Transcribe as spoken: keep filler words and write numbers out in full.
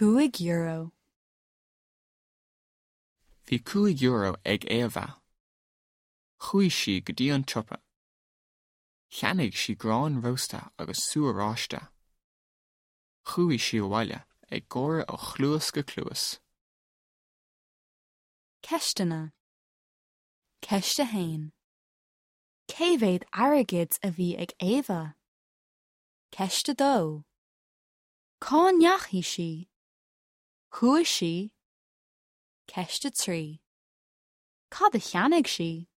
Cúig euro. Bhí cúig euro ag Éabha. Chuaigh sí go dtí an siopa. Cheannaigh sí grán rósta agus sú oráiste. Chuaigh sí abhaile ag gáire ó chluas go cluas. Ceisteanna. Ceist a haon. Cé mhéad airgid a bhí ag Éabha? Ceist a dó. Cá ndeachaigh sí? Chuaigh sí? Ceist a trí. Cad a cheannaigh sí?